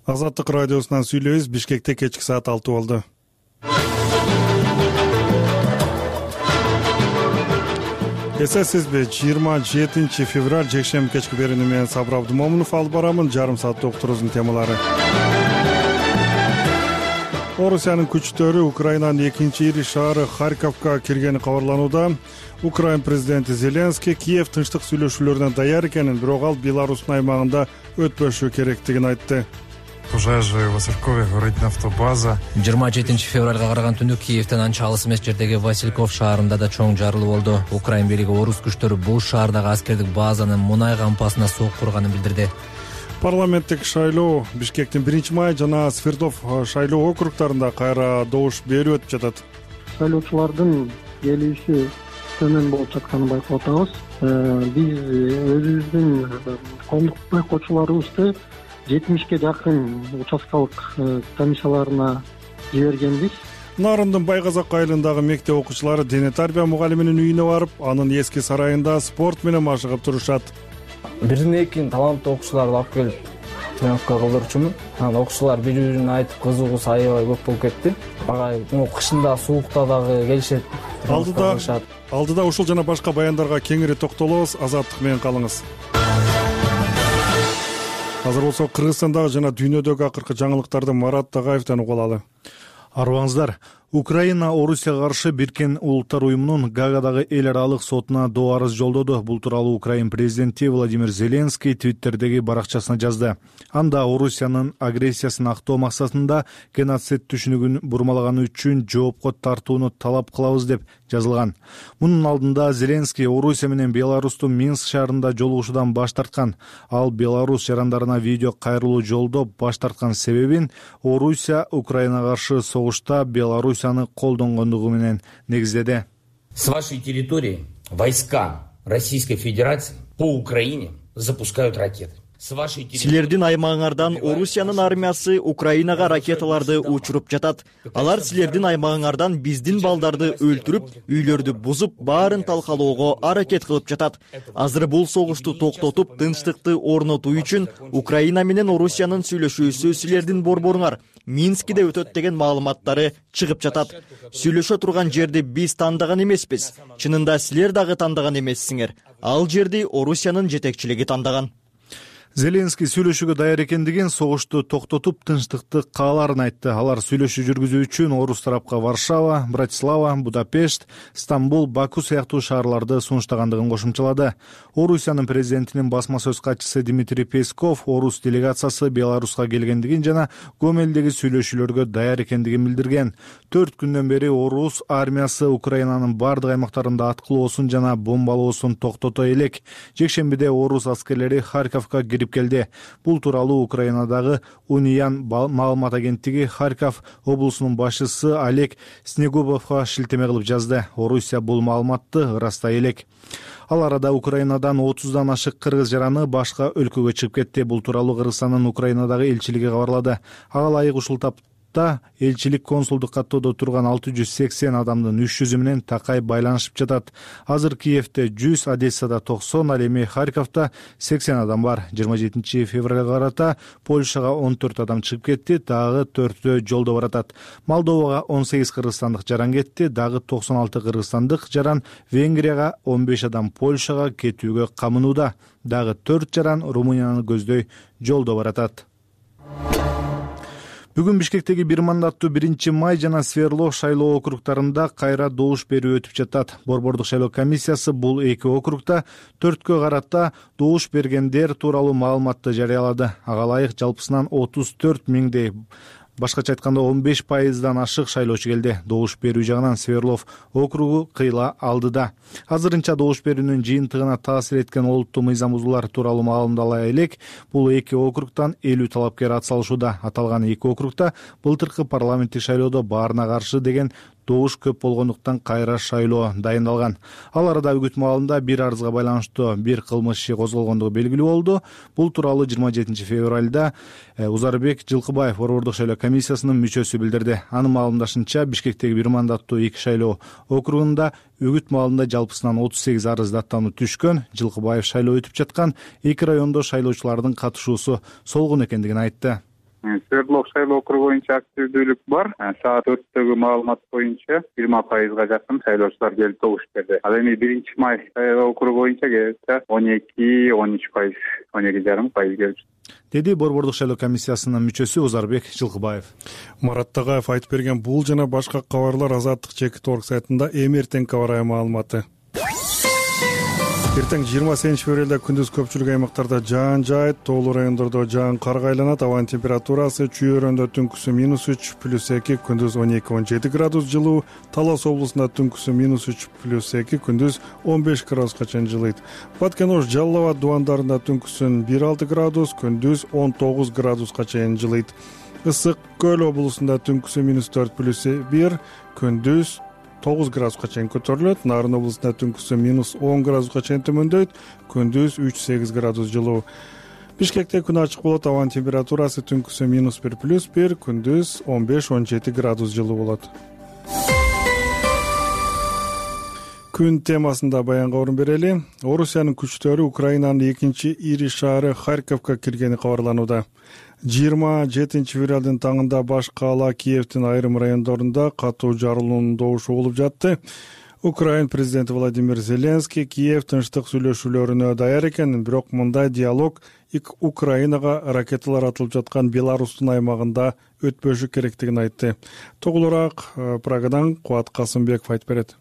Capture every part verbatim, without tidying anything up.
Азаттык радиосунан сүйлөйбүз. Бишкекте кечки саат алты болду. Эсесизби, жыйырма жетинчи февраль жекшемби кечки берүүнү менен Сабыр Абдымомунов алып барамын. Жарым сааттык уктуруубуздун темалары. Орусиянын күчтөрү Украинанын экинчи ири шаары Харьковго киргени кабарланууда. Украин президенти Зеленский Киев тынчтык сүйлөшүүлөрүнө даяр экенин, бирок ал Беларустун аймагында өтпөшү керектигин айтты. Пожежа в Василькове, горит нафтобаза. жыйырма жетинчи февралга караган түнү Киевден анча алыс эмес жердеги Васильков шаарында да чоң жарылуу болду. Украин бийлиги орус күчтөрү бул шаардагы аскердик базанын мунай кампасына сок курганын билдирди. Парламенттик шайлоо Бишкектин биринчи май жана Свердлов шайлоо округдарында кайра добуш берүү өтүп жатат. Шайлоочулардын келиши төмөн болуп жатканын байкап атабыз. Биз өзүбүздүн коомдук байкоочуларыбызды жетимишке жакын участкалык комиссияларына жибергенбиз. Нарындын Байгазак айылындагы мектеп окуучулары дене тарбия мугалиминин үйүнө барып, анын эски сарайында спорт менен машыгып турушат. Бирин экин таланттуу окуучуларды алып келип тренировка кылдырчумун. Анан окуучулар бири-бирине айтып кызыгуусу аябай көп болуп кетти. Багай кышында суукта дагы келишет. Алдыда алдыда ушул жана башка баяндарга кеңири токтолобуз. Азаттык менен калыңыз. Азыр болсо Кыргызстандагы жана дүйнөдөгү акыркы жаңылыктарды Марат Тагаевден угуп алалы. Арыбаңыздар. Украина Орусияга каршы Бириккен Улуттар уюмунун Гаагадагы эл аралык сотуна доо арыз жолдоду. Бул тууралуу Украин президенти Владимир Зеленский Твиттердеги баракчасына жазды. Анда Орусиянын агрессиясын актоо максатында геноцид түшүнүгүн бурмалаганы үчүн жоопко тартууну талап кылабыз деп жазылган. Мунун алдында Зеленский Орусия менен Беларустун Минск шаарында жолугушуудан баш тарткан. Ал Беларус жарандарына видео кайрылуу жолдоп баш тарткан себебин Орусия Украинага каршы согушта Беларусь колдонгондугу менен негиздеди. С вашей территории войска Российской Федерации по Украине запускают ракеты. Силердин аймагыңардан Орусиянын армиясы Украинага ракеталарды учуруп жатат. Алар силердин аймагыңардан биздин балдарды өлтүрүп, үйлөрдү бузуп, баарын талкалоого аракет кылып жатат. Азыр бул согушту токтотуп, тынчтыкты орнотуу үчүн Украина менен Орусиянын сүйлөшүүсү силердин борборуңар Минскиде өтөт деген маалыматтары чыгып жатат. Сүйлөшө турган жерди биз тандаган эмеспиз. Чынында силер дагы тандаган эмессиңер. Ал жерди Орусиянын жетекчилиги тандаган. Зеленский сүйлөшүүгө даяр экендигин, согушту токтотуп, тынчтыкты кааларын айтты. Алар сүйлөшүү жүргүзүү үчүн орус тарапка Варшава, Братислава, Будапешт, Стамбул, Баку сыяктуу шаарларды сунуштагандыгын кошумчалады. Орусиянын президентинин басма сөз катчысы Дмитрий Песков орус делегациясы Беларуска келгендигин жана Гомелдеги сүйлөшүүлөргө даяр экендигин билдирген. Төрт күндөн бери орус армиясы Украинанын бардык аймактарында аткылоосун жана бомбалоосун токтото элек. Жекшембиде орус аскерлери Харьковго кирип келди. Бул тууралуу Украинадагы Униан маалымат агенттиги Харьков облусунун башчысы Олег Снегубовго шилтеме кылып жазды. Орусия бул маалыматты ырастай элек. Ал арада Украинадан отуздан ашык кыргыз жараны башка өлкөгө чыгып кетти. Бул тууралуу Кыргызстандын Украинадагы элчилиги кабарлады. Ага ылайык ушул тап элчилик консулдук каттоодо турган алты жүз сексен адамдын үч жүзү менен такай байланышып жатат. Азыр Киевде жүз, Одессада токсон, ал эми Харьковдо сексен адам бар. жыйырма жетинчи февралга карата Польшага он төрт адам чыгып кетти, дагы төртөө жолдо баратат. Молдовага он сегиз кыргызстандык жаран кетти, дагы токсон алты кыргызстандык жаран, Венгрияга он беш адам Польшага кетүүгө камынууда. Дагы төрт жаран Румынияны көздөй жолдо баратат. Бүгүн Бишкектеги бир мандаттуу биринчи май жана Свердлов шайлоо округдарында кайра добуш берүү өтүп жатат. Борбордук шайлоо комиссиясы бул эки округда төрткө карата добуш бергендер тууралуу маалыматты жарыялады. Ага ылайык жалпысынан отуз төрт миңдей, башкача айтканда он беш пайыздан ашык шайлоочу келди. Добуш берүү жагынан Свердлов округу кыйла алдыда. Азырынча добуш берүүнүн жыйынтыгына таасир эткен олуттуу мыйзам бузуулар тууралуу маалымдала элек. Бул эки округдан элүү талапкер атсалышууда. Аталган эки округда былтыркы парламенттик шайлоодо баарына каршы деген добуш көп болгондуктан кайра шайлоо дайындалган. Ал арада үгүт маалында бир арызга байланыштуу бир кылмыш иши козголгондугу белгилүү болду. Бул тууралуу жыйырма жетинчи февралда Узарбек Жылкыбаев борбордук шайлоо комиссиясынын мүчөсү билдирди. Анын маалымдашынча Бишкектеги бир мандаттуу эки шайлоо округунда үгүт маалында жалпысынан отуз сегиз арыз даттануу түшкөн. Жылкыбаев шайлоо өтүп жаткан эки райондо шайлоочулардын катышуусу солгун экендигин айтты. Свердлов шайлоо округу боюнча активдүүлүк бар. Саат төрттөгү маалымат боюнча жыйырма пайызга жакын шайлоочулар келип добуш берди. Ал эми биринчи май шайлоо округу боюнча келсе он эки он үч пайыз, он эки жарым пайыз келип, деди Борбордук шайлоо комиссиясынын мүчөсү Озарбек Жылкыбаев. Марат Тагаев айтып берген бул жана башка кабарлар Азаттык чекит орг сайтында эми эртең кабар маалыматы. Эртең жыйырма сегизинчи февралда күндүз көпчүлүк аймактарда жаан жаайт, тоолуу райондордо жаан карга айланат. Абанын температурасы Чүй-Өрөндө түнкүсү минус үч плюс эки, күндүз он эки он жети градус жылуу. Талас облусунда түнкүсү минус үч плюс эки, күндүз он беш градуска чейин жылыйт. Баткен-Ош, Жалал Абад дубандарында түнкүсүн бир алты градус, күндүз он тогуз градуска чейин жылыйт. Ысык Көл облусунда түнкүсү минус төрт плюс бир, күндүз тогуз градуска чейин көтөрүлөт. Нарын облусунда түнкүсү минус он градуска чейин төмөндөйт, күндүз үч сегиз градус жылуу. Бишкекте күн ачык болот, абанын температурасы түнкүсү минус бир плюс бир, күндүз он беш он жети градус жылуу болот. Күн темасында баянга орун берели. Орусиянын күчтөрү Украинанын экинчи ири шаары Харьковго киргени кабарланууда. жыйырма жетинчи февралдын таңында баш каала Киевдин айрым райондорунда катуу жарылуунун добушу болуп жатты. Украин президенти Владимир Зеленский Киев тынчтык сүйлөшүүлөрүнө даяр экенин, бирок мындай диалог Украинага ракеталар атылып жаткан Беларустун аймагында өтпөшү керектигин айтты. Тоголураак Прагадан Кубат Касымбеков айтып берет.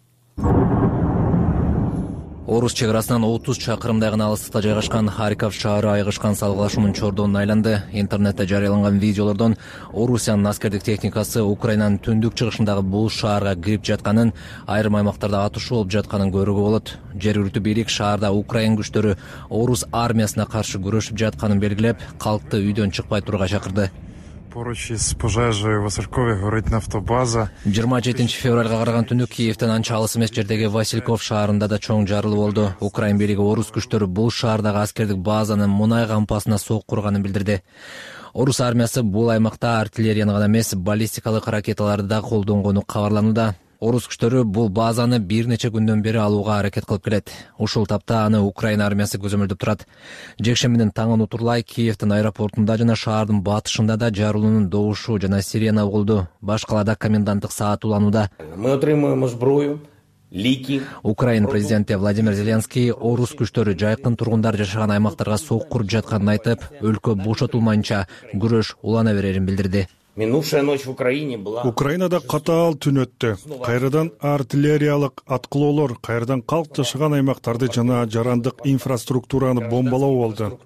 Орус чек арасынан отуз чакырымдай гана алыстыкта жайгашкан Харьков шаары айгышкан салгылашуунун чордонуна айланды. Интернетте жарыяланган видеолордон Орусиянын аскердик техникасы Украинанын түндүк чыгышындагы бул шаарга кирип жатканын, айрым аймактарда атышуу болуп жатканын көрүүгө болот. Жергиликтүү бийлик шаарда Украин күчтөрү Орус армиясына каршы күрөшүп жатканын белгилеп, калкты үйдөн чыкпай турууга чакырды. Поруч из пожежи Васильков горит нафтобаза. жыйырма жетинчи февралга караган түнү Киевден анча алыс эмес жердеги Васильков шаарында да чоң жарылуу болду. Украин бийлиги Орус күчтөрү бул шаардагы аскердик базанын мунай кампасына сок курганын билдирди. Орус армиясы бул аймакта артиллерияны гана эмес, баллистикалык ракеталарды да колдонгону кабарланууда. Орус күчтөрү бул базаны бир нече күндөн бери алууга аракет кылып келет. Ушул тапта аны Украина армиясы көзөмөлдөп турат. Жекшембинин таңын утурлай Киевдин аэропортунда жана шаардын батышында да жарылуунун добушу жана сирена угулду. Башкаларда коменданттык саат уланууда. Мы отримуємо зброю, ліки. Украин президенти Владимир Зеленский Орус күчтөрү жайкын тургундар жашаган аймактарга сок куруп жатканын айтып, өлкө бошотулмайынча күрөш улана берерин билдирди. Минувшая ночь в Украине была. Украинада катаал түн өттү. Кайрадан артиллериялык аткылоолор, кайрадан калк жашаган аймактарды жана жарандык инфраструктураны бомбалоо болду.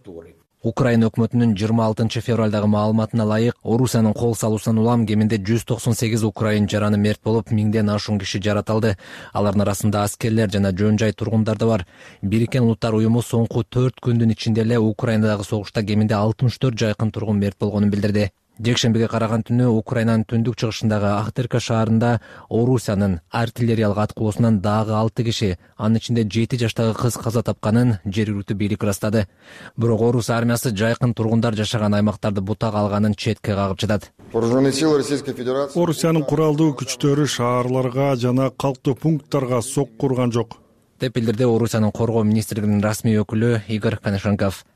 Украина өкмөтүнүн жыйырма алтынчы февралдагы маалыматына ылайык, Орусиянын кол салуусунан улам кеминде жүз токсон сегиз украин жараны мерт болуп, миңден ашуун киши жаратылды. Алардын арасында аскерлер жана жөн жай тургундар да бар. Бириккен Улуттар уюму соңку төрт күндүн ичинде эле Украинадагы согушта кеминде алтымыш төрт жайкын тургун мерт болгонун билдирди. Жекшембиге караган түнү Украинанын түндүк чыгышындагы Ахтырка шаарында Орусиянын артиллериялык аткылоосунан дагы алты киши, анын ичинде жети жаштагы кыз каза тапканын жергиликтүү бийлик ырастады. Бирок Орус армиясы жайкын тургундар жашаган аймактарды бутак алганын четке кагып жатат. Орусиянын куралдуу күчтөрү шаарларга жана калктуу пункттарга сок курган жок, деп билдирди Орусиянын коргоо министрлигинин расмий өкүлү Игорь Коношенков.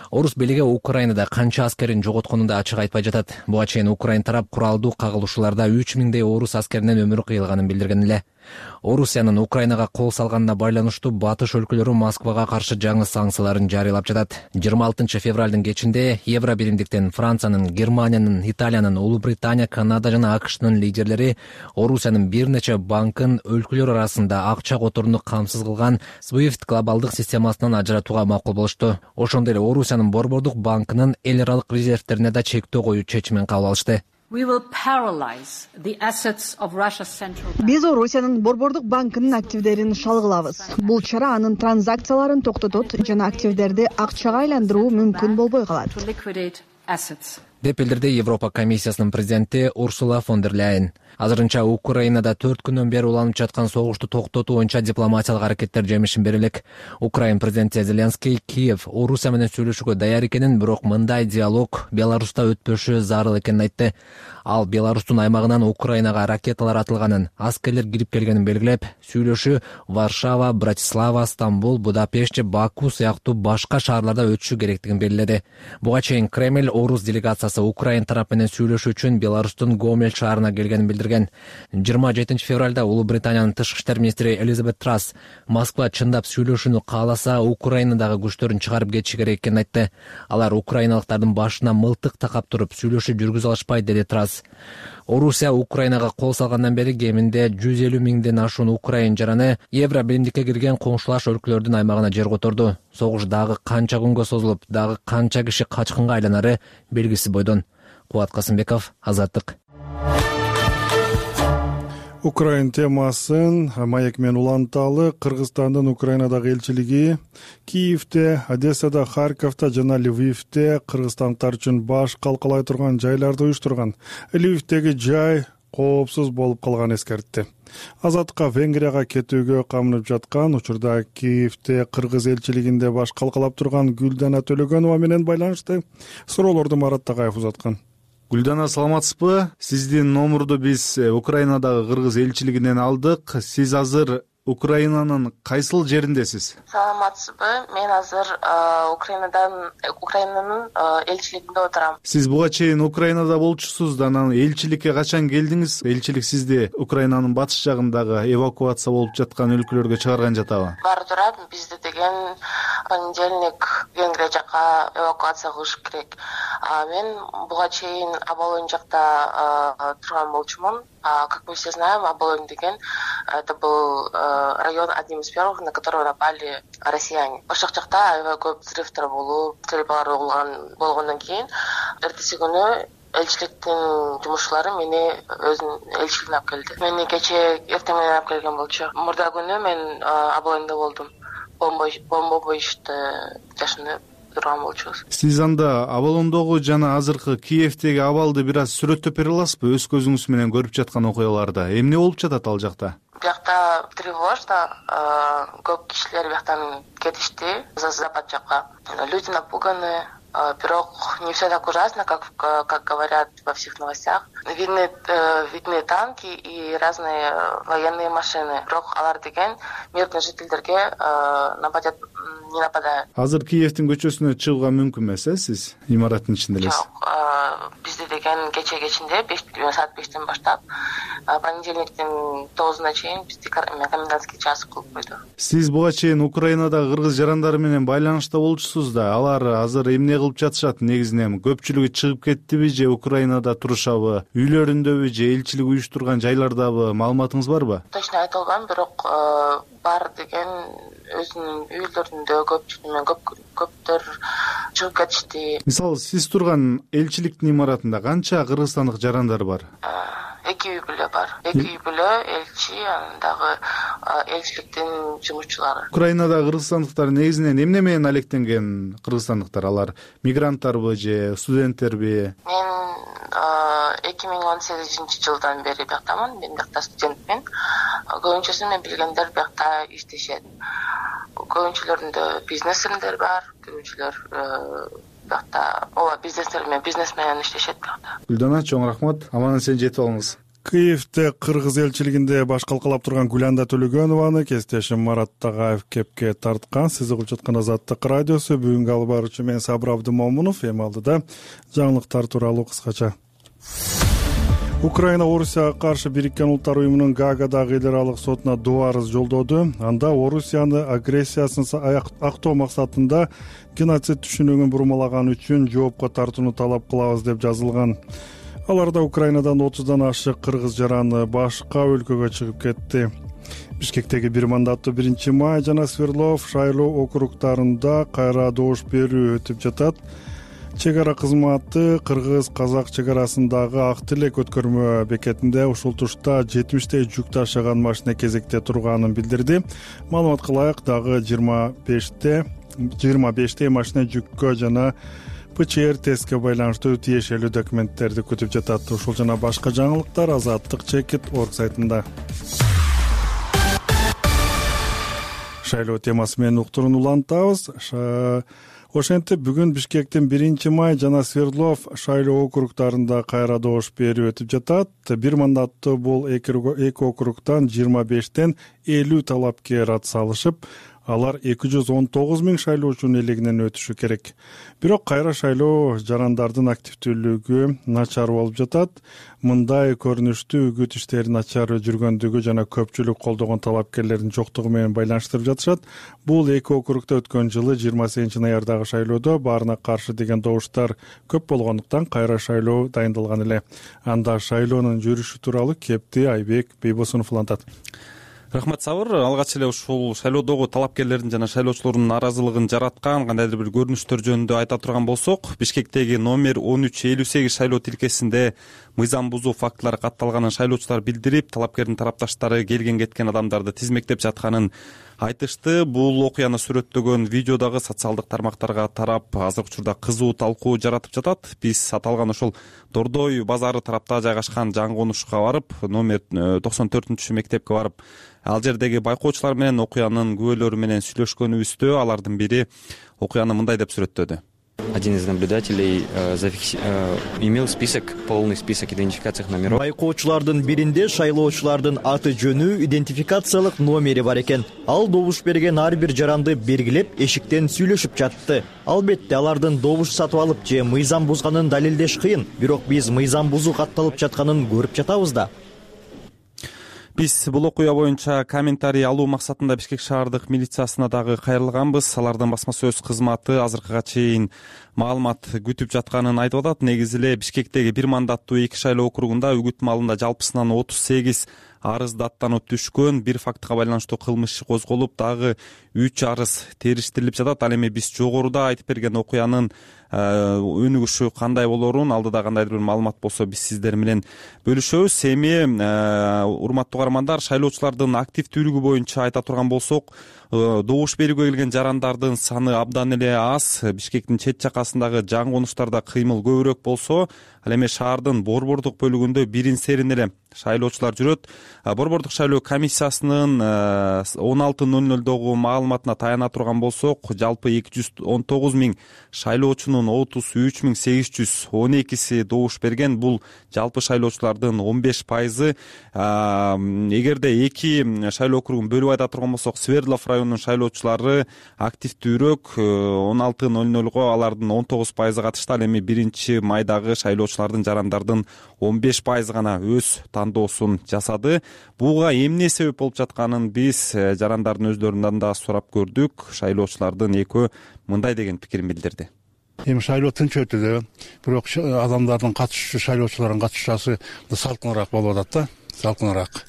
Орус бийлиги Украинада канча аскерин жоготконун да ачык айтпай жатат. Буга чейин Украин тарап куралдуу кагылышууларда үч миңдей орус аскеринин өмүрү кыйылганын билдирген эле. Орусиянын Украинага кол салганына байланыштуу батыш өлкөлөрү Москвага каршы жаңы санкцияларын жарыялап жатат. жыйырма алтынчы февралдын кечинде Евро биримдиктен Франциянын, Германиянын, Италиянын, Улуу Британия, Канада жана АКШнын лидерлери Орусиянын бир нече банкын өлкөлөр арасында акча которууну камсыз кылган SWIFT глобалдык системасынан ажыратууга макул болушту. Ошондой эле Орусиянын Борбордук банкынын эл аралык резервтерине да чектөө коюу чечимин кабыл алышты. Биз Орусиянын Борбордук банкынын активдерин шалгылабыз. Бул чара анын транзакцияларын токтотот жана активдерди акчага айландыруу мүмкүн болбой калат, деп билдирди Европа комиссиясынын президенти Урсула фон дер Ляйен. Азырынча Украинада төрт күндөн бери уланып жаткан согушту токтотуу боюнча дипломатиялык аракеттер жемишин бере элек. Украин президенти Зеленский Киев Орусия менен сүйлөшүүгө даяр экенин, бирок мындай диалог Беларуста өтпөшү зарыл экенин айтты. Ал Беларустун аймагынан Украинага ракеталар атылганын, аскерлер кирип келгенин белгилеп, сүйлөшүү Варшава, Братислава, Стамбул, Будапешт, Баку сыяктуу башка шаарларда өтүшү керектигин белгиледи. Буга чейин Кремль Орус делегациясы кабинет Украин тарап менен сүйлөшүү үчүн Беларустун Гомель шаарына келгенин билдирген. жыйырма жетинчи февралда Улуу Британиянын тышкы иштер министри Элизабет Трасс Москва чындап сүйлөшүүнү кааласа, Украинадагы күчтөрүн чыгарып кетиши керек экенин айтты. Алар украиналыктардын башына мылтык такап туруп сүйлөшүү жүргүзө алышпайт, деди Трасс. Орусия Украинага кол салгандан бери кеминде жүз элүү миңден ашуун украин жараны Евро биримдикке кирген коңшулаш өлкөлөрдүн аймагына жер которду. Согуш дагы канча күнгө созулуп, дагы канча киши качкынга айланары белгисиз бойдон. Кубат Касымбеков, Азаттык. Украин темасын маек менен уланталы. Кыргызстандын Украинадагы элчилиги Киевде, Одессада, Харьковдо жана Львивде кыргызстандыктар үчүн баш калкалай турган жайларды уюштурган. Львивдеги жай коопсуз болуп калганын эскертти. Азаттыкка Венгрияга кетүүгө камынып жаткан учурда Киевде кыргыз элчилигинде баш калкалап турган Гүлдана Төлөгөнова менен байланышты суроолорду Марат Тагаев узаткан. Гүлдана, саламатсызбы? Сиздин номурду биз Украинадагы кыргыз элчилигинен алдык. Сиз азыр Украинанын кайсыл жериндесиз? Саламатсызбы? Мен азыр Украинадан Украинанын элчилигинде отурам. Сиз буга чейин Украинада болчусуз да, анан элчиликке качан келдиңиз? Элчилик сизди Украинанын батыш жагындагы эвакуация болуп жаткан өлкөлөргө чыгарган жатабы? Бар турат, бизди деген понедельник Венгрия жака эвакуация кылыш керек. Мен буга чейин Аболонь жакта турган болчумун. Как мы все знаем, Аболонь деген это был район одним из первых, на которого напали россияне. Ошол жакта аябай көп взрывдар болуп, стрельбалар болгондон кийин эртеси күнү элчиликтин жумушчулары мени өзүнүн элчилигине алып келди. Мени кечээ эртең менен алып келген болчу. Мурда күнү мен Аболоньдо болдум. Бомба боюшту жашынып турган болчубуз. Сиз анда Аболондогу жана азыркы Киевдеги абалды бир аз сүрөттөп бере аласызбы? Өз көзүңүз менен көрүп жаткан окуяларды. Эмне болуп жатат ал жакта? Биякта тревожно, көп кишилер бияктан кетишти за запад жакка. Люди напуганы, бирок не все так ужасно, как как говорят во всех новостях. Видны видны танки и разные военные машины. Бирок алар деген мирный жительдерге нападет не нападают. Азыр Киевдин көчөсүнө чыгууга мүмкүн эмес, э, сиз имараттын ичинде элесиз? Жок, бизде деген кече кечинде саат бештен баштап понедельниктин тогузуна чейин бизди комендантский час кылып койду. Сиз буга чейин Украинадагы кыргыз жарандары менен байланышта болчусуз да. Алар азыр эмне кылып жатышат? Негизинен көпчүлүгү чыгып кеттиби же Украинада турушабы? Үйлөрүндөбү же элчилик уюштурган жайлардабы? Маалыматыңыз барбы? Точно айта албайм, бирок бар деген өзүнүн үйлөрүндө көпчүлүгү көп көптөр чыгып кетишти. Мисалы, сиз турган элчиликтин имаратында канча кыргызстандык жарандар бар? Эки үй бүлө бар. Эки үй бүлө, элчи, андагы элчиликтин жумушчулары. Украинада кыргызстандыктар негизинен эмне менен алектенген кыргызстандыктар? Алар мигранттарбы же студенттерби? Мен эки миң он сегизинчи жылдан бери бияктамын. Мен биякта студентмин. Көбүнчөсү мен билгендер биякта иштешет. Көбүнчөлөрүндө бизнесмендер бар, көбүнчөлөр биякта ооба бизнестер менен бизнес менен иштешет биякта. Гүлдана, чоң рахмат. Аман эсен жетип алыңыз. Киевде кыргыз элчилигинде баш калкалап турган Гүлдана Төлөгөнованы кесиптешим Марат Тагаев кепке тарткан. Сиз угуп жаткан Азаттык радиосу. Бүгүнкү алып баруучу мен Сабыр Абдымомунов. Эми алдыда жаңылыктар тууралуу кыскача. Украина Орусияга каршы Бириккен Улуттар уюмунун Гаагадагы эл аралык сотуна доо арыз жолдоду. Анда Орусияны агрессиясын актоо максатында геноцид түшүнүгүн бурмалаган үчүн жоопко тартууну талап кылабыз деп жазылган. Аларда Украинадан отуздан ашык кыргыз жараны башка өлкөгө чыгып кетти. Бишкектеги бир мандаттуу биринчи май жана Свердлов, Шайлоо округтарында кайра добуш берүү өтүп жатат. Чек ара кызматы кыргыз-казак чек арасындагы Ак Тилек өткөрмө бекетинде ушул тушта жетимиштей жүк ташыган машина кезекте турганын билдирди. Маалыматка ылайык, дагы жыйырма беште жыйырма бештей машина жүккө жана ПЧР тестке байланыштуу тиешелүү документтерди күтүп жатат. Ушул жана башка жаңылыктар азаттык чекит точка орг сайтында. Шайлоо темасы менен уктурууну улантабыз. Ошентип бүгүн Бишкектин биринчи май жана Свердлов, Шайлоо округтарында кайра добуш берүү өтүп жатат. Бир мандаттуу бул эки округтан жыйырма бештен элүү талапкер ат салышып, алар эки жүз он тогуз миң шайлоочунун элегинен өтүшү керек. Бирок кайра шайлоо жарандардын активдүүлүгү начар болуп жатат. Мындай көрүнүштү үгүт иштери начар жүргөндүгү жана көпчүлүк колдогон талапкерлердин жоктугу менен байланыштырып жатышат. Бул эки округда өткөн жылы жыйырма сегизинчи ноябрдагы шайлоодо баарына каршы деген добуштар көп болгондуктан кайра шайлоо дайындалган эле. Анда шайлоонун жүрүшү тууралуу кепти Айбек Бейбосунов улантат. Рахмат Сабыр. Алгач эле ушул шайлоодогу талапкерлердин жана шайлоочулордун нааразылыгын жараткан кандайдыр бир көрүнүштөр жөнүндө айта турган болсок, Бишкектеги номер он үч элүү сегиз шайлоо тилкесинде мыйзам бузуу фактылары катталганын шайлоочулар билдирип, талапкердин тарапташтары келген кеткен адамдарды тизмектеп жатканын айтышты. Бул окуяны сүрөттөгөн видео дагы социалдык тармактарга тарап, азыркы учурда кызуу талкуу жаратып жатат. Биз аталган ошол Дордой базары тарапта жайгашкан жаңы конушка барып, номер токсон төртүнчү мектепке барып, ал жердеги байкоочулар менен окуянын күбөлөрү менен сүйлөшкөнүбүздө алардын бири окуяны мындай деп сүрөттөдү. Один из наблюдателей э, зафикси... э, имел список, полный список идентификациялык номеров. Байкоочулардын биринде шайлоочулардын аты жөнү, идентификациялык номери бар экен. Ал добуш берген ар бир жаранды белгилеп, эшиктен сүйлөшүп жатты. Албетте, алардын добуш сатып алып же мыйзам бузганын далилдеш кыйын, бирок биз мыйзам бузуу катталып жатканын көрүп жатабыз да. Биз бул окуя боюнча комментарий алуу максатында Бишкек шаардык милициясына дагы кайрылганбыз. Алардын басма сөз кызматы азыркыга чейин маалымат күтүп жатканын айтып атат. Негизи эле Бишкектеги бир мандаттуу эки шайлоо округунда үгүт маалында жалпысынан отуз сегиз арыз даттанып түшкөн. Бир фактыга байланыштуу кылмыш иши козголуп, дагы үч арыз териштирилип жатат. Ал эми биз жогоруда айтып берген окуянын өнүгүшү кандай болорун, алдыда кандайдыр бир маалымат болсо биз сиздер менен бөлүшөбүз. Эми урматтуу каармандар, шайлоочулардын активдүүлүгү боюнча айта турган болсок, добуш берүүгө келген жарандардын саны абдан эле аз. Бишкектин чет жакасындагы жаңы конуштарда кыймыл көбүрөөк болсо, ал эми шаардын борбордук бөлүгүндө бирин серин эле шайлоочулар жүрөт. Борбордук шайлоо комиссиясынын он алты ноль нольдогу маалыматына таяна турган болсок, жалпы эки жүз он тогуз миң шайлоочунун отуз үч миң сегиз жүз он экиси добуш берген. Бул жалпы шайлоочулардын он беш пайызы. Эгерде эки шайлоо округун бөлүп айта турган болсок, Свердлов районунун шайлоочулары активдүүрөөк, он алты ноль нольго алардын он тогуз пайызы катышты. Ал эми биринчи майдагы шайлоочулардын жарандардын он беш пайызы гана өз тандоосун жасады. Буга эмне себеп болуп жатканын биз жарандардын өздөрүнөн да сурап көрдүк. Шайлоочулардын экөө мындай деген пикирин билдирди. Эми шайлоо тынч өтүүдө, бирок адамдардын катышуусу, шайлоочулардын катышуусу салкыныраак болуп атат да, салкыныраак.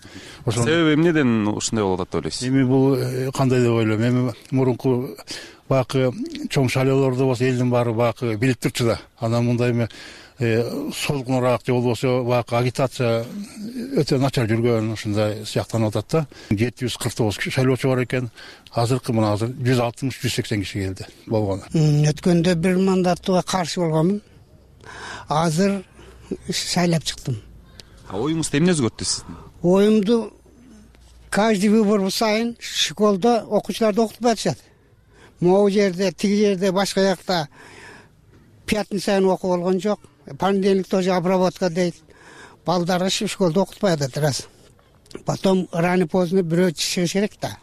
Себеби эмнеден ушундай болуп атат деп ойлойсуз? Эми бул кандай деп ойлойм. Эми мурунку баягы чоң шайлоолордо болсо элдин баары баягы билип турчу да. Анан мындай эми солкунураак же болбосо баягы агитация өтө начар жүргөн, ушундай сыяктанып атат да. жети жүз кырк тогуз шайлоочу бар экен. Азыркы мына азыр жүз алтымыш жүз сексен киши келди болгону. Өткөндө бир мандаттууга каршы болгонмун. Азыр шайлап чыктым. А оюңузду эмне өзгөрттү сиздин? Оюмду каждый выбор сайын школдо окуучуларды окутуп атышат. Могу жерде, тиги жерде, башка жакта пятница сайын окуу болгон жок. Понедельник тоже обработка дейт. Балдарды школдо окутпай атат раз. Потом рано поздно бирөө чыгыш керек да.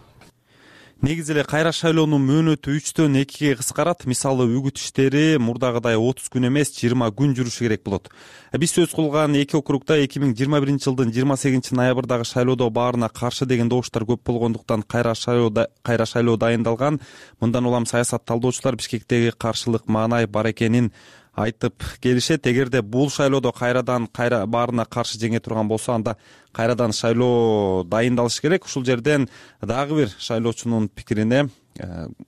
Негизи эле кайра шайлоонун мөөнөтү үчтөн экиге кыскарат. Мисалы үгүт иштери мурдагыдай отуз күн эмес, жыйырма күн жүрүшү керек болот. Биз сөз кылган эки округда эки миң жыйырма биринчи жылдын жыйырма сегизинчи ноябрдагы шайлоодо баарына каршы деген добуштар көп болгондуктан кайра шайлоо кайра шайлоо дайындалган. Мындан улам саясат талдоочулар Бишкектеги каршылык маанай бар экенин айтып келишет. Эгерде бул шайлоодо кайрадан кайра баарына каршы жеңе турган болсо, анда кайрадан шайлоо дайындалыш керек. Ушул жерден дагы бир шайлоочунун пикирине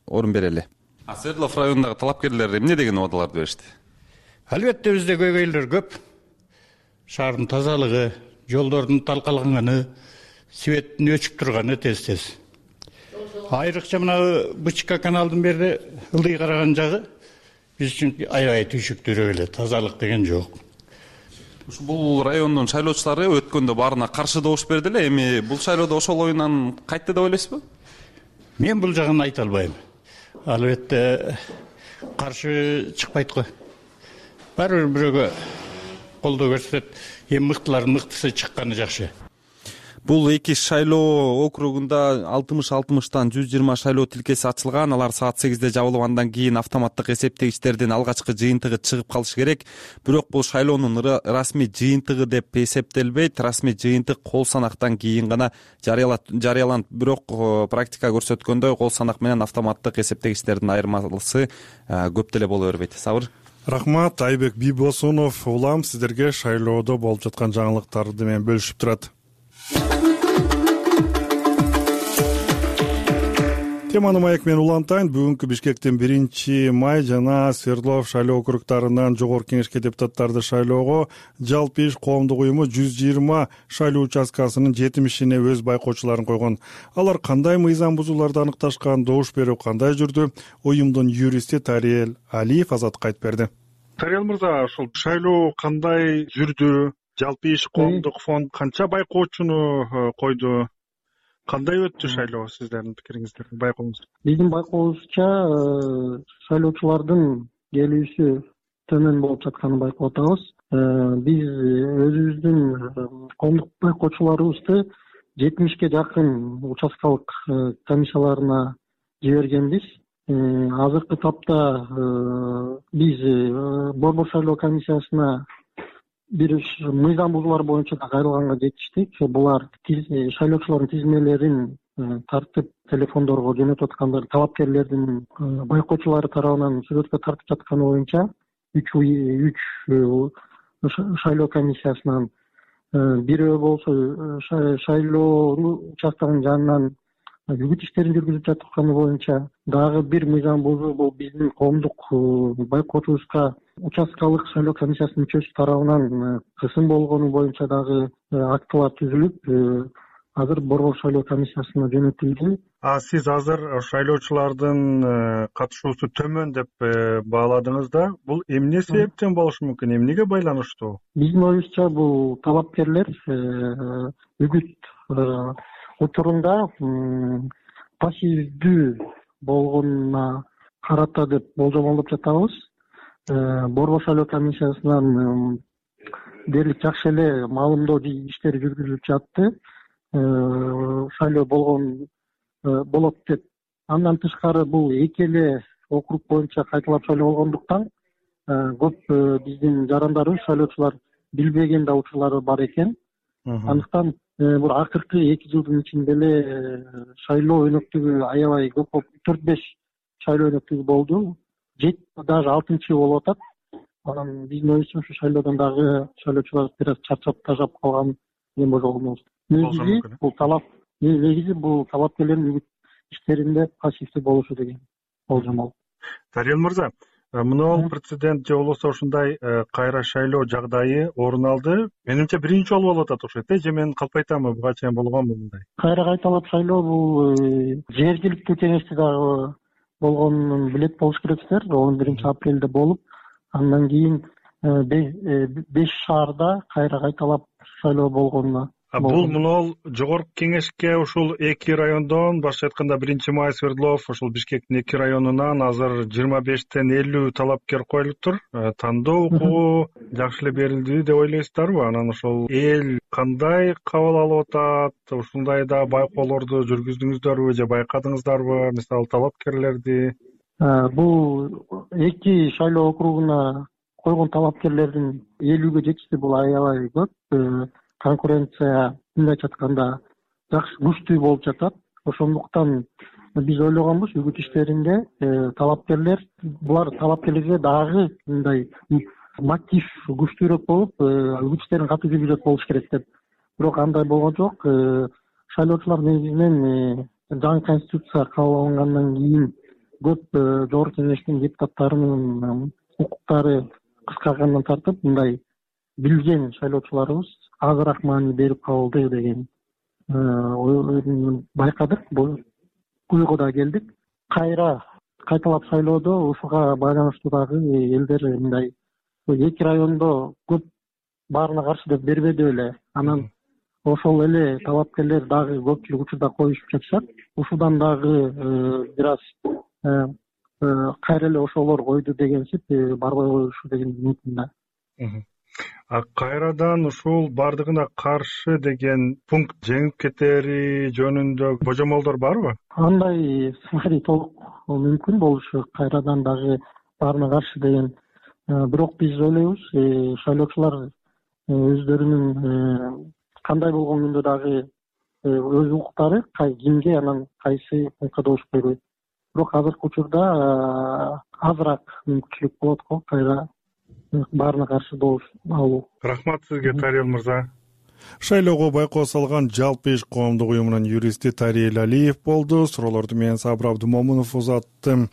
орун берели. А Свердлов районундагы талапкерлер эмне деген убадаларды беришти? Албетте бизде көйгөйлөр көп. Шаардын тазалыгы, жолдордун талкаланганы, светтин өчүп турганы тез-тез. Айрыкча мына Бычка каналдын берде ылдый караган жагы биз үчүн аябай түйшүктүүрөөк эле, тазалык деген жок. Бул райондун шайлоочулары өткөндө баарына каршы добуш берди эле. Эми бул шайлоодо ошол оюнан кайтты деп ойлойсузбу? Мен бул жагын айта албайм. Албетте каршы чыкпайт го. Баары бир бирөөгө колдоо көрсөтөт. Эми мыктылардын мыктысы чыкканы жакшы. Бул эки шайлоо округунда алтымыш алтымыштан жүз жыйырма шайлоо тилкеси ачылган. Алар саат сегизде жабылып, андан кийин автоматтык эсептегичтердин алгачкы жыйынтыгы чыгып калышы керек. Бирок бул шайлоонун расмий жыйынтыгы деп эсептелбейт. Расмий жыйынтык кол санактан кийин гана жарыяланат. Бирок практика көрсөткөндөй кол санак менен автоматтык эсептегичтердин айырмасы көп деле боло бербейт. Сабыр. Рахмат. Айбек Бийбосунов улам сиздерге шайлоодо болуп жаткан жаңылыктарды менен бөлүшүп турат. Теманы маек менен улантайын. Бүгүнкү Бишкектин биринчи май жана Свердлов шайлоо округдарынан жогорку кеңешке депутаттарды шайлоого жалпы иш коомдук уюму жүз жыйырма шайлоо участкасынын жетимишине өз байкоочуларын койгон. Алар кандай мыйзам бузууларды аныкташкан, добуш берүү кандай жүрдү? Уюмдун юристи Тариел Алиев Азаттыкка айтып берди. Тариел мырза, ушул шайлоо кандай жүрдү? Жалпы иш коомдук фонд канча байкоочуну койду? Кандай өттү шайлоо, сиздердин пикириңиздер, байкооңуз? Биздин байкообузча шайлоочулардын келүүсү төмөн болуп жатканын байкап атабыз. Биз өзүбүздүн коомдук байкоочуларыбызды жетимишке жакын участкалык комиссияларына жибергенбиз. Азыркы тапта биз борбор шайлоо комиссиясына бир мыйзам бузуулар боюнча да кайрылганга жетиштик. Булар шайлоочулардын тизмелерин тартып телефондорго жөнөтүп аткандар, талапкерлердин байкоочулары тарабынан сүрөткө тартып жатканы боюнча үч шайлоо комиссиясынан, бирөө болсо шайлоо участогунун жанынан үгүт иштерин жүргүзүп жатканы боюнча дагы бир мыйзам бузуу, бул биздин коомдук байкоочубузга участкалык шайлоо комиссиясынын мүчөсү тарабынан кысым болгону боюнча дагы актылар түзүлүп, азыр борбор шайлоо комиссиясына жөнөтүлдү. А сиз азыр шайлоочулардын катышуусу төмөн деп бааладыңыз да, бул эмне себептен болушу мүмкүн, эмнеге байланыштуу? Биздин оюбузча бул талапкерлер үгүт учурунда пассивдүү болгонуна карата деп болжомолдоп жатабыз. Борбор шайлоо комиссиясынан дээрлик жакшы эле маалымдоо иштери жүргүзүлүп жатты. Шайлоо болгон болот деп. Андан тышкары бул эки эле округ боюнча кайталап шайлоо болгондуктан көп биздин жарандарыбыз, шайлоочулар билбеген да учурлары бар экен. Андыктан бул акыркы эки жылдын ичинде эле шайлоо өнөктүгү аябай көп болуп, төрт беш шайлоо өнөктүгү болду. Жети даже алтынчы болуп атат. Анан биздин оюбузча ушу шайлоодон дагы шайлоочулар бир аз чарчап тажап калган эми божолобуз. Негизи бул талап, негизи бул талапкерлердин үгүт иштеринде пассивдүү болушу деген болжомол. Тариел мырза, мына прецедент же болбосо ушундай кайра шайлоо жагдайы орун алды. Менимче биринчи жолу болуп атат ошо, же мен калп айтамбы, буга чейин болгонбу мындай? Кайра кайталап шайлоо бул жергиликтүү кеңеште дагы болгонун билет болуш керексиздер. он биринчи апрелде болуп, андан кийин беш шаарда кайра кайталап шайлоо болгонуна. Бул мына жогорку кеңешке ушул эки райондон, башкача айтканда биринчи май, Свердлов, ушул Бишкектин эки районунан азыр жыйырма бештен элүү талапкер коюлуптур. Тандоо укугу жакшы эле берилди деп ойлойсуздарбы? Анан ошол эл кандай кабыл алып атат? Ушундайда байкоолорду жүргүздүңүздөрбү же байкадыңыздарбы? Мисалы талапкерлерди. Бул эки шайлоо округуна койгон талапкерлердин элүүгө жетишти, бул аябай көп. Конкуренция мындайча айтканда жакшы күчтүү болуп жатат. Ошондуктан биз ойлогонбуз, үгүт иштеринде талапкерлер, булар талапкерлерге дагы мындай мотив күчтүүрөөк болуп, үгүт иштерин катуу жүргүзөт болуш керек деп. Бирок андай болгон жок. Шайлоочулар негизинен жаңы конституция кабыл алынгандан кийин көп жогорку кеңештин депутаттарынын укуктары кыскаргандан тартып, мындай билген шайлоочуларыбыз азыраак маани берип калды деген байкадык. Бул уйга да келдик. Кайра кайталап шайлоодо ушуга байланыштуу дагы элдер мындай эки райондо көп баарына каршы деп бербеди эле. Анан ошол эле талапкерлер дагы көпчүлүк учурда коюшуп жатышат. Ушудан дагы бир аз кайра эле ошолор койду дегенсип барбай коюшу деген үмүтүм да. кайрадан ушул бардыгына каршы деген пункт жеңип кетери жөнүндө божомолдор барбы? Андай сценарий толук мүмкүн болушу, кайрадан дагы баарына каршы деген. Бирок биз ойлойбуз, шайлоочулар өздөрүнүн кандай болгон күндө дагы өз укуктары кимге анан кайсы пунктка добуш бербейт. Бирок азыркы учурда азыраак мүмкүнчүлүк болот го кайра баарына каршы добуш алуу. Рахмат сизге, Тариел мырза. Шайлоого байкоо салган Жалпы иш коомдук уюмунун юристи Тариел Алиев болду. Суроолорду менен Сабыр Абдымомунов узатты.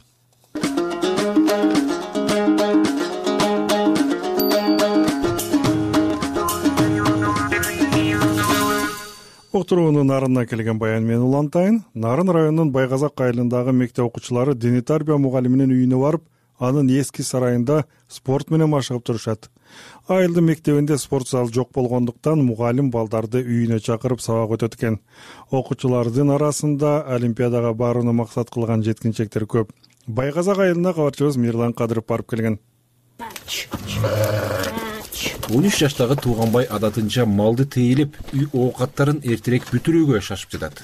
Уктуруунун нарына келген баян менен улантайын. Нарын районунун Байгазак айылындагы мектеп окуучулары диний тарбия мугалиминин үйүнө барып, анын эски сарайында спорт менен машыгып турушат. Айылдын мектебинде спорт зал жок болгондуктан мугалим балдарды үйүнө чакырып сабак өтөт экен. Окуучулардын арасында олимпиадага барууну максат кылган жеткинчектер көп. Байгазак айылына кабарчыбыз Мирлан Кадыров барып келген. он үч жаштагы Тууганбай адатынча малды тейилип, үй оокаттарын эртерээк бүтүрүүгө шашып жатат.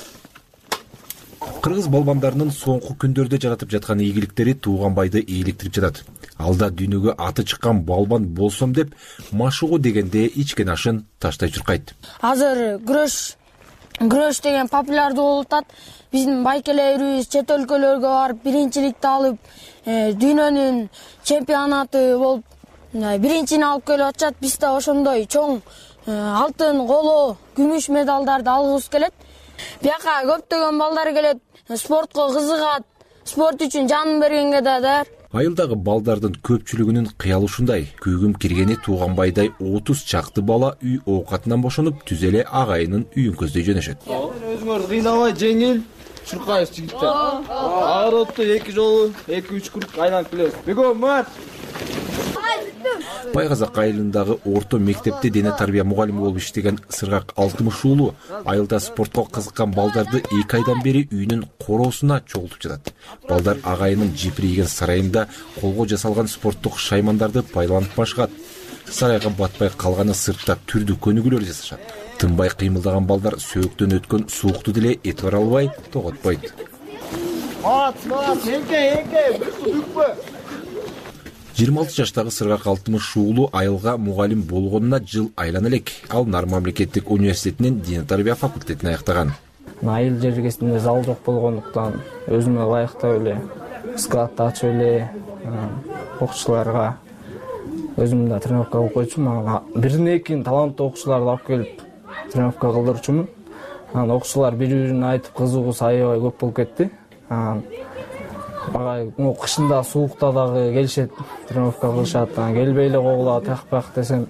Кыргыз балбандарынын соңку күндөрдө жаратып жаткан ийгиликтери Тууганбайды ээликтирип жатат. Алда дүйнөгө аты чыккан балбан болсом деп машыгуу дегенде ичкен ашын таштай чуркайт. Азыр күрөш күрөш деген популярдуу болуп атат. Биздин байкелерибиз чет өлкөлөргө барып биринчиликти алып, дүйнөнүн чемпионаты болуп биринчини алып келип атышат. Биз да ошондой чоң алтын, коло, күмүш медалдарды алгыбыз келет. Бияка көптөгөн балдар келет, спортко кызыгат, спорт үчүн жанын бергенге да даяр. Айылдагы балдардын көпчүлүгүнүн кыялы ушундай. Күйгүм киргени Тууганбайдай отуз чакты бала үй оокатынан бошонуп, түз эле агайынын үйүн көздөй жөнөшөт. Өзүңөр кыйнабай жеңил чуркайбыз жигиттер. Аыротто эки жолу, эки үч круг айланып келебиз. Бегом мат. Байгазак айылындагы орто мектепте дене тарбия мугалими болуп иштеген Сыргак Алтымыш уулу айылда спортко кызыккан балдарды эки айдан бери үйүнүн короосуна чогултуп жатат. Балдар агайынын жипирийген сарайында колго жасалган спорттук шаймандарды пайдаланып машыгат. Сарайга батпай калганы сыртта түрдүү көнүгүүлөр жасашат. Тынбай кыймылдаган балдар сөөктөн өткөн суукту деле этибар албай тоготпойт. жыйырма алты жаштагы Сыргак Алтымыш уулу айылга мугалим болгонуна жыл айлана элек. Ал Нар мамлекеттик университетинин диний тарбия факультетин аяктаган. Айыл жергесинде зал жок болгондуктан өзүмө ылайыктап эле скат ачып эле окуучуларга өзүм да тренировка кылып койчумун. Бирин экин таланттуу окуучуларды алып келип тренировка кылдырчумун. Анан окуучулар бири-бирине айтып кызыгуусу аябай көп болуп кетти. Багай кышында суукта дагы келишет, тренировка кылышат. Келбей эле когула тахпак десем,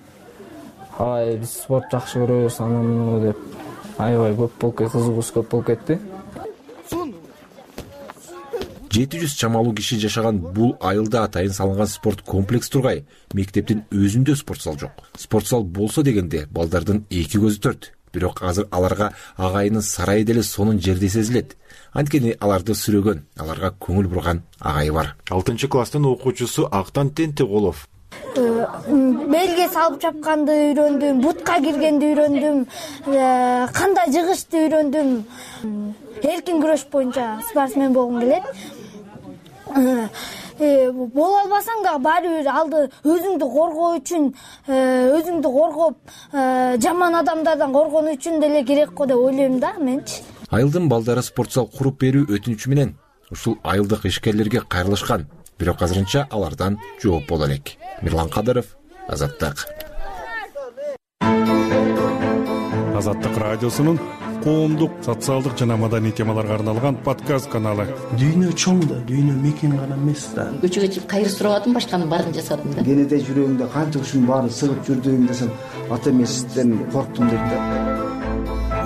ай биз спорт жакшы көрөбүз, анан деп аябай көп болуп кетти, кызыгуусу көп болуп кетти. жети жүз чамалуу киши жашаган бул айылда атайын салынган спорт комплекс тургай. Мектептин өзүндө спорт зал жок. Спорт зал болсо дегенде балдардын эки көзү төрт. Бирок азыр аларга агайынын сарайы деле сонун жерде сезилет. Анткени аларды сүрөгөн, аларга көңүл бурган агайы бар. алтынчы класстын окуучусу Актан Тентиголов. Белге салып чапканды үйрөндүм, бутка киргенди үйрөндүм, кандай жыгышты үйрөндүм. Эркин күрөш боюнча спортсмен болгум келет. Боло албасаң да баары бир алды өзүңдү коргоо үчүн, өзүңдү коргоп, жаман адамдардан коргонуу үчүн деле керек го деп ойлойм да менчи. Айылдын балдары спорт зал куруп берүү өтүнүчү менен ушул айылдык ишкерлерге кайрылышкан. Бирок азырынча алардан жооп боло элек. Мирлан Кадыров, Азаттык. Азаттык радиосунун коомдук, социалдык жана маданий темаларга арналган подкаст каналы. Дүйнө чоң да, дүйнө мекен гана эмес да. Көчөгө чыгып кайры сурабадым, башканын баарын жасадым да. Кенеде жүрөгүмдө канча ушунун баары сыгып жүрдүм десем, ата эмесизден корктум дейт да.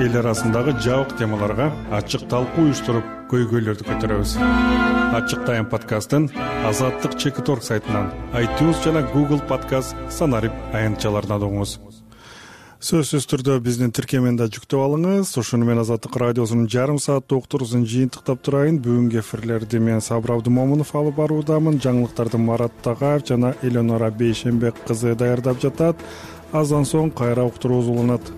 Эл арасындагы жабык темаларга ачык талкуу уюштуруп, көйгөйлөрдү көтөрөбүз. Ачык тайм подкастын Азаттык чекит точка орг сайтынан, iTunes жана Google подкаст санарип аянтчаларынан угуңуз. сөзсүз түрдө биздин тиркемени да жүктөп алыңыз. Ошону менен Азаттык радиосунун жарым сааттык уктуруусун жыйынтыктап турайын. Бүгүнкү эфирлерди мен Сабыр Абдымомунов алып баруудамын. Жаңылыктарды Марат Тагаев жана Эленора Бейшенбек кызы даярдап жатат. Аздан соң кайра уктуруубуз уланат.